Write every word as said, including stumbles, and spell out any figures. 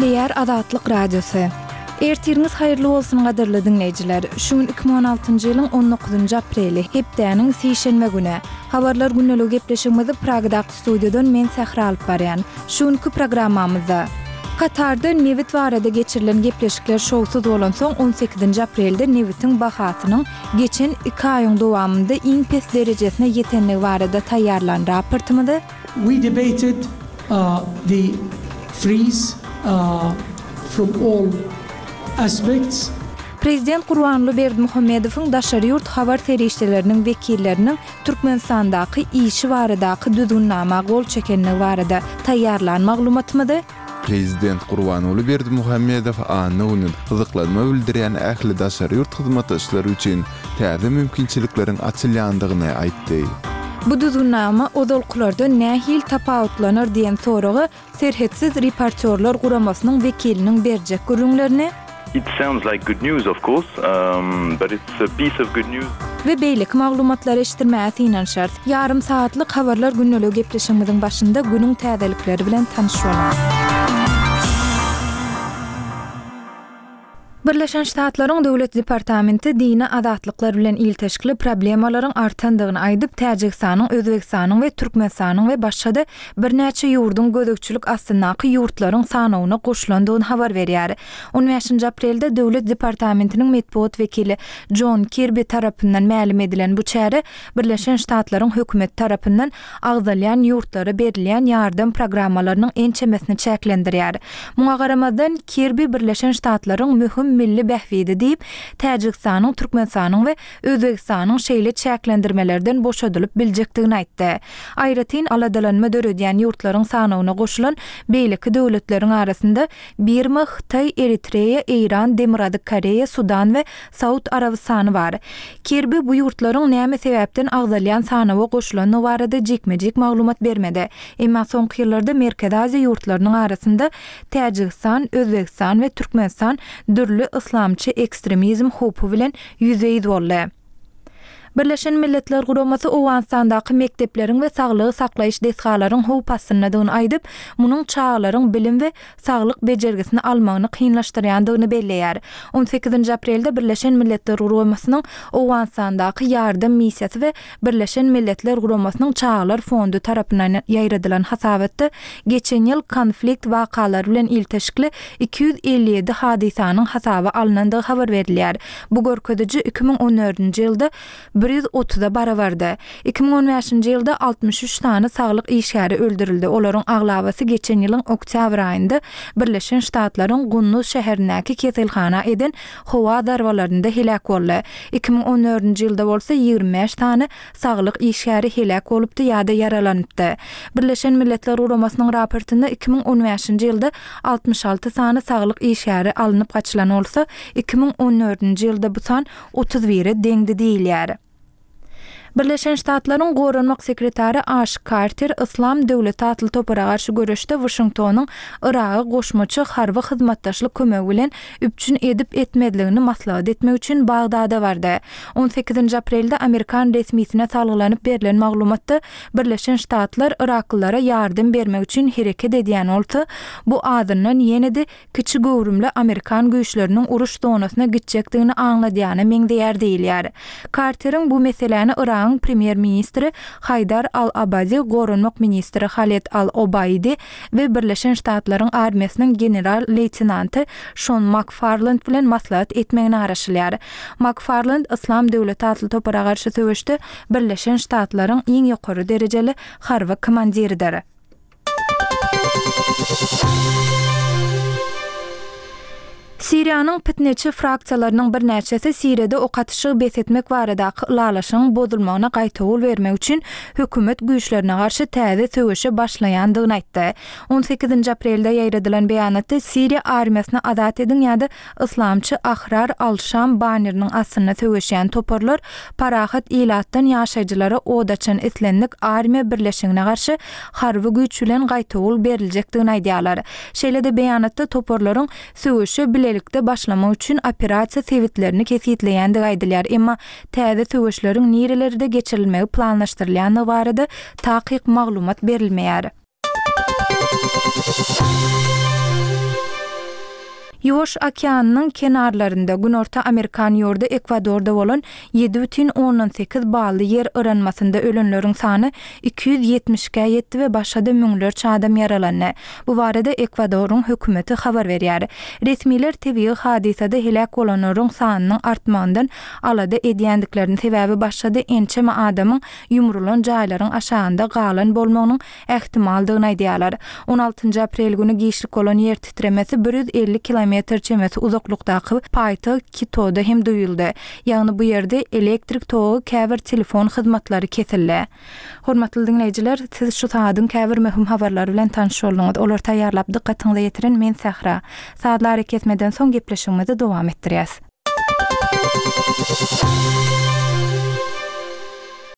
Gepleýär Azatlyk Radiosy. Ertiriňiz haýyrly bolsun gadyrly diňleýjiler. Şu gün iki müň on altynjy ýylyň on dokuzynjy apreli, hepdäniň sişenbe güni. Habarlar gündeligi gepleşigimizi Pragadaky studiýadan men Sähra alyp barýan. Şu günki programmamyzda Katarda nebit barada geçirilen gepleşikler şowsuz bolansoň on sekizinji aprelde nebitiň bahasynyň geçen iki aýyň dowamynda iň pes derejesine ýetendigi barada taýýarlan raportymyzy We debated, uh, the freeze, uh, from all aspects. Prezident Gurbanguly Berdimuhamedowyň daşary ýurt habar serişdeleriniň wekilleriniň Türkmenistandaky işi baradaky düzgünnama gol çekenligi barada taýýarlan maglumatymyzy Prezident Gurbanguly Berdimuhamedow anna güni gyzyklanma bildirýän ähli daşary ýurt hyzmatdaşlary üçin täze mümkinçilikleriň açylýandygyny aýtdy. Bu düzgünnama ozalkylardan nähili tapawutlanar diýen soraga Serhetsiz reportýorlar guramasynyň wekiliniň berjek gürrüňlerini It sounds like good news, of course, um, but it's a piece of good news. We beýleki maglumatlary eşitdirmäge synanyşarys. Ýarym sagatlyk habarlar gündeligi gepleşigimiziň başynda günüň täzelikleri bilen tanyş boluň. Birleşen Ştatlaryň Döwlet departamenti dini azatlyklar bilen ilteşikli problemalaryň artandygyny aýdyp, Täjigistanyň, Özbegistanyň we Türkmenistanyň we başga-da birnäçe ýurduň gözegçilik astyndaky ýurtlaryň sanawyna goşulandygyny habar berýär. On bäşinji aprelde Döwlet departamentiniň metbugat wekili Jon Kirbi tarapyndan mälim edilen bu çäre Birleşen Ştatlaryň hökümeti tarapyndan agzalýan ýurtlara berilýän ýardam programmalarynyň ençemesini çäklendirýär. Muňa garamazdan, Kirbi Birleşen Ştatlaryň möhüm milli bähbidi diýip, Täjigistanyň, Türkmenistanyň we Özbegistanyň şeýle çäklendirmelerden boşadylyp biljekdigini aýtdy. Aýratyn aladalanma döredýän ýurtlaryň sanawyna goşulan beýleki döwletleriň arasynda Birma, Hytaý, Eritreýa, Eýran, Demirgazyk Koreýa, Sudan we Saud Arabystany bar. Kirbi bu ýurtlaryň näme sebäpden agzalýan sanawa goşulandygy barada jikme-jik maglumat bermedi. Emma soňky ýyllarda Merkezi Aziýa ýurtlarynyň arasynda Täjigistan, Özbegistan we Türkmenistan dürli yslamçy ekstremizm howpy bilen ýüzbe-ýüz boldy. Birleşen Milletler Guramasy Owganystandaky mekdepleriň we saglygy saklaýyş desgalaryň howp astyndadygyny aýdyp, munuň çagalaryň bilim we saglyk bejergisini almagyny kynlaşdyrýandygyny belleýär. On sekizinji aprelde Birleşen Milletler Guramasynyň Owganystandaky ýardam missiýasy we Birleşen Milletler Guramasynyň Çagalar fondy tarapyndan ýaýradylan hasabatda geçen ýyl konflikt wakalary bilen ilteşikli iki ýüz elli ýedi hadysanyň hasaba alynandygy habar berilýär. Bu görkeziji iki müň on dördünji ýylda bir ýüz otuza barabardy. Iki müň on bäşinji ýylda altmyş üç sany saglyk işgäri öldürildi. Olaryň aglabasy geçen ýylyň oktýabr aýynda Birleşen Ştatlaryň Gunduz şäherindäki keselhana eden howa zarbalarynda heläk boldy. Iki müň on dördünji ýylda bolsa ýigrimi bäş sany saglyk işgäri heläk bolupdy ýa-da ýaralanypdy. Birleşen Milletler Guramasynyň raportynda iki müň on bäşinji ýylda altmyş alty sany saglyk işgäri alnyp gaçylan bolsa, iki müň on dördünji ýylda bu san otuz bire deňdi diýilýär. Birleşen Ştatlaryň Goranmak sekretary Aş Karter Yslam döwleti atly topara garşy göreşde Washingtonyň Yraga goşmaça harby hyzmatdaşlyk kömegi bilen üpjün edip etmezligini maslahat etmek üçin Bagdada bardy. On sekizinji aprelde Amerikan resmisine salgylanyp berlen maglumatda Birleşen Ştatlar Yraklylara ýardam bermek üçin hereket edýän bolsa, bu azyndan ýene-de kiçi göwrümli Amerikan güýçleriniň uruş zonasyna gitjekdigini aňladýana meňzeýär diýilýär. Karteriň bu meseläni Yragyň premýer-ministri Haýdar Al-Abadi, Goranmak ministri Haled Al-Obaidi we Birleşen Ştatlaryň armiýasynyň general-leýtenanty Şon Makfarland bilen maslahat etmegine garaşylýar. Makfarland Yslam döwleti atly topara garşy söweşde Birleşen Ştatlaryň iň ýokary derejeli harby komandiridir. Siriýanyň pitneçi fraksiýalarynyň birnäçesi Siriýada ok atyşygy bes etmek baradaky ylalaşygyň bozulmagyna gaýtawul bermek üçin hökümet güýçlerine garşy täze söweşe başlaýandygyny aýtdy. On sekizinji aprelde ýaýradylan beýanatda Siriýa armiýasyny azat ediň ýa-da Yslamçy Ahrar al-Şam banneriniň astynda söweşýän toparlar parahat ilatdan ýaşaýjylara od açan islendik armiýa birleşigine garşy harby güýç bilen gaýtawul beriljekdigini aýdýarlar. Şeýle-de beýanatda toparlaryň söweşe bilelikde başlamak üçin operasiýa sebitlerini kesgitleýändigi aýdylýar. Emma täze söweşleriň nirelerde geçirilmegi planlaşdyrylýandygy barada takyk maglumat berilmeýär. Ýuwaş okeanynyň kenarlarynda Günorta Amerikan ýurdy Ekwadorda bolan ýedi bütin ondan sekiz bally ýer yranmasynda ölenleriň sany iki ýüz ýetmiş ikä ýetdi we başga-da müňlerçe adam ýaralandy. Bu barada Ekwadoryň hökümeti habar berýär. Resmiler tebigy hadysada heläk bolanlaryň sanynyň artmagyndan alada edýändiklerini, sebäbi başga-da ençeme adamyň ýumrulan jaýlaryň aşagynda galan bolmagynyň ähtimaldygyny aýdýarlar. On altynjy aprel güni giçlik bolan ýer titremesi bir ýüz elli kilometr çemesi uzaklykdaky paýtagt Kitoda hem duýuldy. Ýagny bu ýerde elektrik togy, käbir telefon hyzmatlary kesildi. Hormatly diňleýjiler, siz şu sagadyň käbir möhüm habarlary bilen tanyş bolduňyz. Olary taýýarlap dykgatyňyza ýetiren men Sähra. Sazly arakesmeden soň gepleşigimizi dowam etdirýäs.